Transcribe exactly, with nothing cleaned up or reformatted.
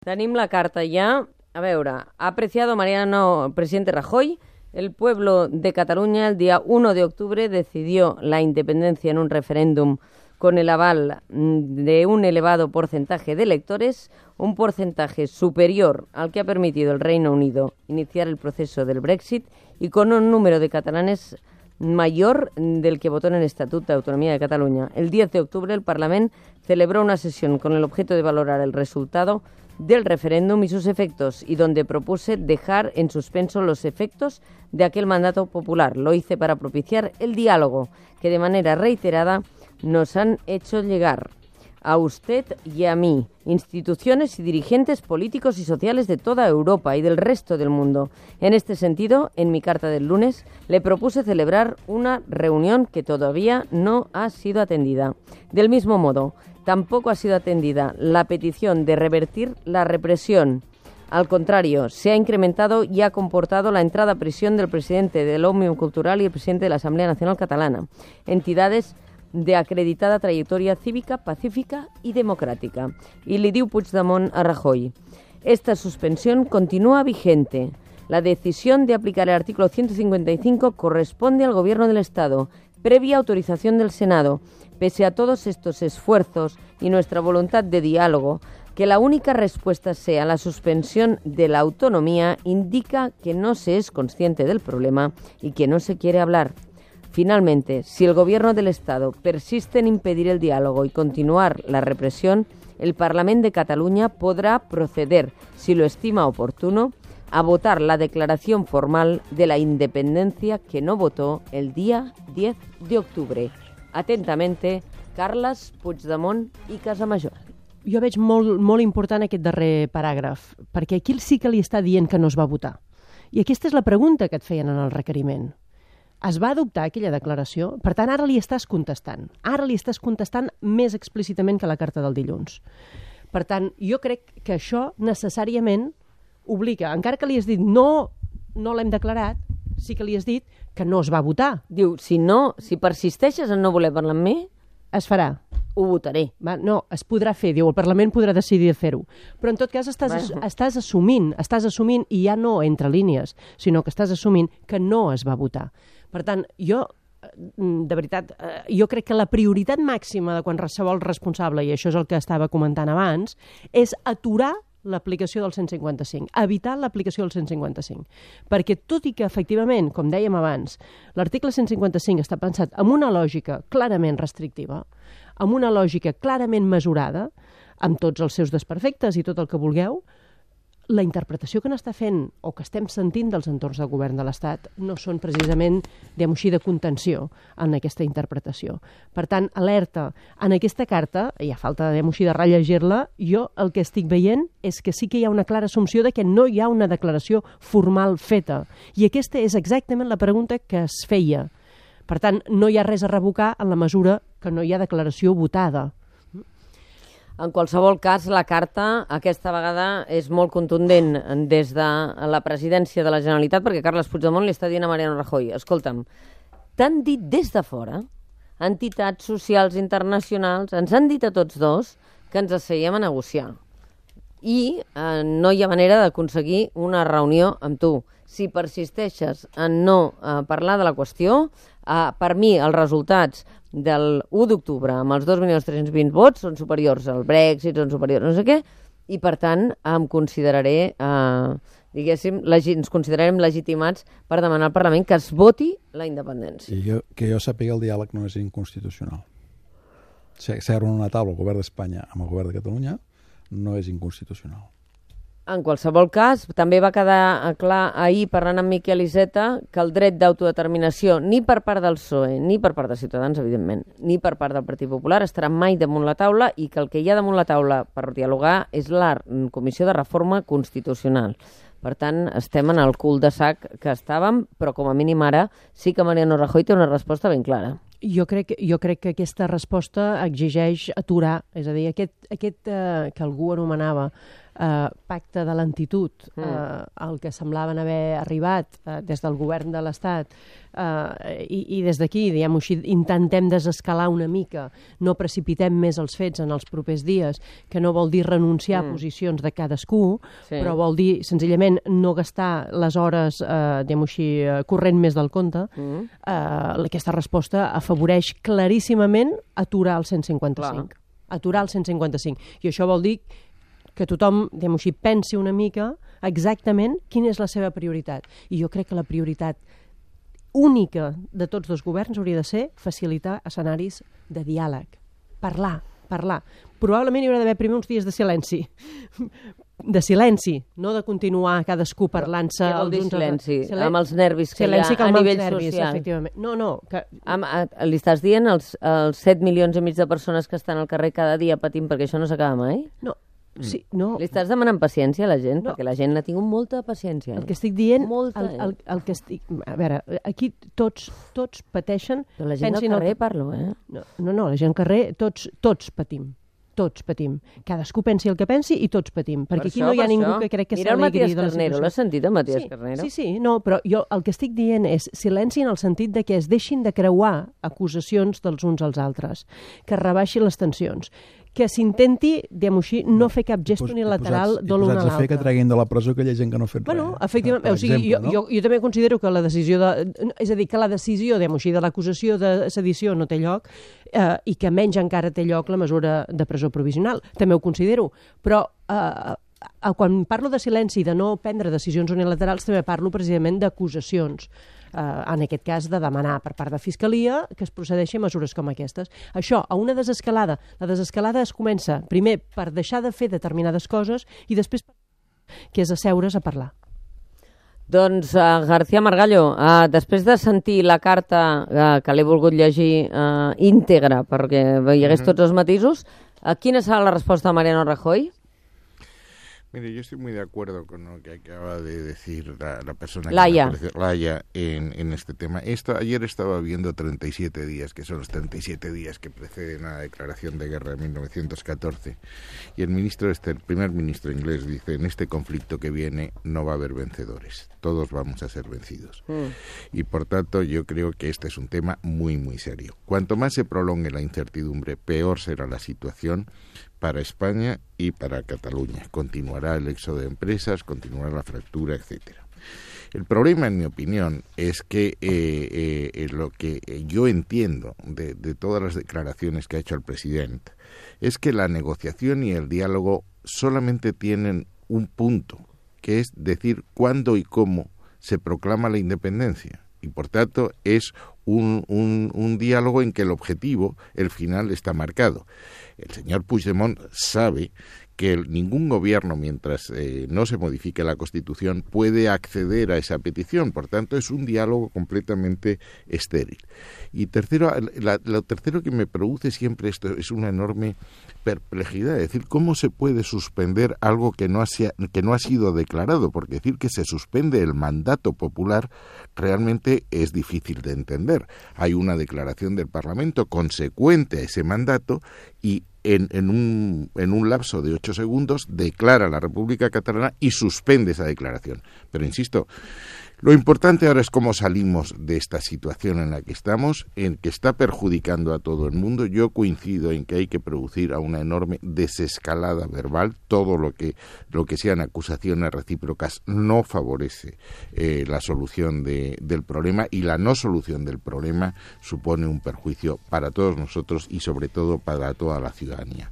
Tenim la carta ja. A veure, ha apreciado Mariano, presidente Rajoy, el pueblo de Cataluña el día uno de octubre decidió la independencia en un referéndum con el aval de un elevado porcentaje de electores, un porcentaje superior al que ha permitido el Reino Unido iniciar el proceso del Brexit y con un número de catalanes mayor del que votó en el Estatut de Autonomía de Cataluña. El diez de octubre el Parlament celebró una sesión con el objeto de valorar el resultado del referéndum y sus efectos, y donde propuse dejar en suspenso los efectos de aquel mandato popular. Lo hice para propiciar el diálogo que de manera reiterada nos han hecho llegar a usted y a mí, instituciones y dirigentes políticos y sociales de toda Europa y del resto del mundo. En este sentido, en mi carta del lunes, le propuse celebrar una reunión que todavía no ha sido atendida. Del mismo modo, tampoco ha sido atendida la petición de revertir la represión. Al contrario, se ha incrementado y ha comportado la entrada a prisión del presidente del Òmnium Cultural y el presidente de la Asamblea Nacional Catalana, entidades de acreditada trayectoria cívica, pacífica y democrática. Y le diu Puigdemont a Rajoy: esta suspensión continúa vigente. La decisión de aplicar el artículo ciento cincuenta y cinco corresponde al Gobierno del Estado, previa autorización del Senado. Pese a todos estos esfuerzos y nuestra voluntad de diálogo, que la única respuesta sea la suspensión de la autonomía indica que no se es consciente del problema y que no se quiere hablar. Finalmente, si el Gobierno del Estado persiste en impedir el diálogo y continuar la represión, el Parlament de Cataluña podrá proceder, si lo estima oportuno, a votar la declaración formal de la independencia que no votó el día diez de octubre. Atentamente, Carles Puigdemont i Casamajor. Jo veig molt, molt important aquest darrer paràgraf, perquè aquí sí que li està dient que no es va votar. I aquesta és la pregunta que et feien en el requeriment. Es va adoptar aquella declaració? Per tant, ara li estàs contestant. Ara li estàs contestant més explícitament que la carta del dilluns. Per tant, jo crec que això necessàriament obliga, encara que li has dit no, no l'hem declarat, sí que li has dit que no es va votar. Diu, si no, si persisteixes en no voler parlar amb mi, es farà. Ho votaré. Va, no, es podrà fer, diu, el Parlament podrà decidir fer-ho. Però en tot cas estàs, bueno. estàs assumint, estàs assumint, i ja no entre línies, sinó que estàs assumint que no es va votar. Per tant, jo, de veritat, jo crec que la prioritat màxima de qualsevol responsable, i això és el que estava comentant abans, és aturar l'aplicació del cent cinquanta cinc, evitar l'aplicació del cent cinquanta cinc. Perquè tot i que, efectivament, com dèiem abans, l'article cent cinquanta cinc està pensat amb una lògica clarament restrictiva, amb una lògica clarament mesurada, amb tots els seus desperfectes i tot el que vulgueu, la interpretació que n'està fent o que estem sentint dels entorns del govern de l'Estat no són precisament, diguem-ho així, de contenció en aquesta interpretació. Per tant, alerta, en aquesta carta, i a falta, diguem-ho així, de rellegir-la, jo el que estic veient és que sí que hi ha una clara assumpció de que no hi ha una declaració formal feta. I aquesta és exactament la pregunta que es feia. Per tant, no hi ha res a revocar en la mesura que no hi ha declaració votada. En qualsevol cas, la carta aquesta vegada és molt contundent des de la presidència de la Generalitat, perquè Carles Puigdemont li està dient a Mariano Rajoy: escolta'm, t'han dit des de fora, entitats socials internacionals, ens han dit a tots dos que ens asseiem a negociar. I eh, no hi ha manera d'aconseguir una reunió amb tu. Si persisteixes en no eh, parlar de la qüestió, eh, per mi els resultats del u d'octubre amb els dos milions tres-cents vint vots són superiors al Brexit, són superiors no sé què, i per tant em consideraré, eh, diguéssim, legi- ens considerarem legitimats per demanar al Parlament que es voti la independència. I jo, que jo sàpiga, el diàleg no és inconstitucional. Seure en una taula el govern d'Espanya amb el govern de Catalunya no és inconstitucional. En qualsevol cas, també va quedar clar ahir, parlant amb Miquel Iceta, que el dret d'autodeterminació, ni per part del P S O E, ni per part de Ciutadans, evidentment, ni per part del Partit Popular, estarà mai damunt la taula, i que el que hi ha damunt la taula per dialogar és la Comissió de Reforma Constitucional. Per tant, estem en el cul de sac que estàvem, però com a mínim ara sí que Mariano Rajoy té una resposta ben clara. Jo crec, jo crec que aquesta resposta exigeix aturar, és a dir, aquest, aquest eh, que algú anomenava eh, pacte de lentitud, eh, al que semblaven haver arribat eh, des del govern de l'Estat, eh, i, i des d'aquí, diguem-ho així, intentem desescalar una mica, no precipitem més els fets en els propers dies, que no vol dir renunciar mm. a posicions de cadascú, sí. però vol dir senzillament no gastar les hores, eh, diguem-ho així, eh, corrent més del compte. Mm. Eh, aquesta resposta afavoreix claríssimament aturar el cent cinquanta-cinc. Clar. Aturar el cent cinquanta-cinc. I això vol dir que tothom, diguem-ho així, pensi una mica exactament quina és la seva prioritat. I jo crec que la prioritat única de tots dos governs hauria de ser facilitar escenaris de diàleg. Parlar, parlar. Probablement hi haurà d'haver primer uns dies de silenci. De silenci, no de continuar cadascú parlant-se... Què vol dir silenci? Silen... Amb els nervis que silenci hi ha a nivell nervis, social. Efectivament. No, no. Que... Am, a, li estàs dient els, els set milions i mig de persones que estan al carrer cada dia patint perquè això no s'acaba mai? No. Sí, no. Li estàs demanant paciència a la gent? No. Perquè la gent ha tingut molta paciència. El que estic dient... Molta, el, el, el que estic... A veure, aquí tots, tots pateixen... Però la gent al carrer el... parlo, eh? No, no, no, la gent al carrer, tots, tots patim. Tots patim. Cadascú pensi el que pensi i tots patim. Perquè per aquí això, no hi ha ningú això. Que crec que Mira el Matías Carnero, l'has sentit, el Matías sí, Carnero? Sí, sí, no, però jo el que estic dient és silenci en el sentit de que es deixin de creuar acusacions dels uns als altres, que es rebaixin les tensions, que s'intenti, diguem-ho així, no fer cap gest pos, unilateral de l'un a l'altre. I posats a fer que treguin de la presó aquella gent que no ha fet bueno, res. Efectivament, o sigui, exemple, jo, no? jo, jo també considero que la decisió de... És a dir, que la decisió, diguem-ho així, de l'acusació de sedició no té lloc eh, i que menys encara té lloc la mesura de presó provisional. També ho considero. Però eh, quan parlo de silenci i de no prendre decisions unilaterals, també parlo precisament d'acusacions. Uh, en aquest cas de demanar per part de Fiscalia que es procedeixi a mesures com aquestes. Això, a una desescalada. La desescalada es comença primer per deixar de fer determinades coses i després que és asseure's a parlar. Doncs, uh, García Margallo, uh, després de sentir la carta uh, que l'he volgut llegir uh, íntegra perquè hi hagués tots els matisos, uh, quina serà la resposta de Mariano Rajoy? Mire, yo estoy muy de acuerdo con lo que acaba de decir la, la persona Laia. que Laia en, en este tema. Esto, ayer estaba viendo treinta y siete días, que son los treinta y siete días que preceden a la declaración de guerra de mil novecientos catorce, y el ministro, este, el primer ministro inglés dice, en este conflicto que viene no va a haber vencedores, todos vamos a ser vencidos. Mm. Y por tanto yo creo que este es un tema muy, muy serio. Cuanto más se prolongue la incertidumbre, peor será la situación para España y para Cataluña. Continuará el éxodo de empresas, continuará la fractura, etcétera. El problema, en mi opinión, es que eh, eh, lo que yo entiendo de, de todas las declaraciones que ha hecho el presidente es que la negociación y el diálogo solamente tienen un punto, que es decir cuándo y cómo se proclama la independencia. Y por tanto es un, un, un diálogo en que el objetivo, el final, está marcado. El señor Puigdemont sabe que el, ningún gobierno, mientras eh, no se modifique la Constitución, puede acceder a esa petición. Por tanto, es un diálogo completamente estéril. Y tercero, la, lo tercero que me produce siempre esto es una enorme perplejidad. Es decir, ¿cómo se puede suspender algo que no ha, que no ha sido declarado? Porque decir que se suspende el mandato popular realmente es difícil de entender. Hay una declaración del Parlamento consecuente a ese mandato y En, en, un, en un lapso de ocho segundos declara la República Catalana y suspende esa declaración. Pero insisto, lo importante ahora es cómo salimos de esta situación en la que estamos, en que está perjudicando a todo el mundo. Yo coincido en que hay que producir a una enorme desescalada verbal. Todo lo que, lo que sean acusaciones recíprocas no favorece eh, la solución de, del problema, y la no solución del problema supone un perjuicio para todos nosotros y sobre todo para toda la ciudadanía.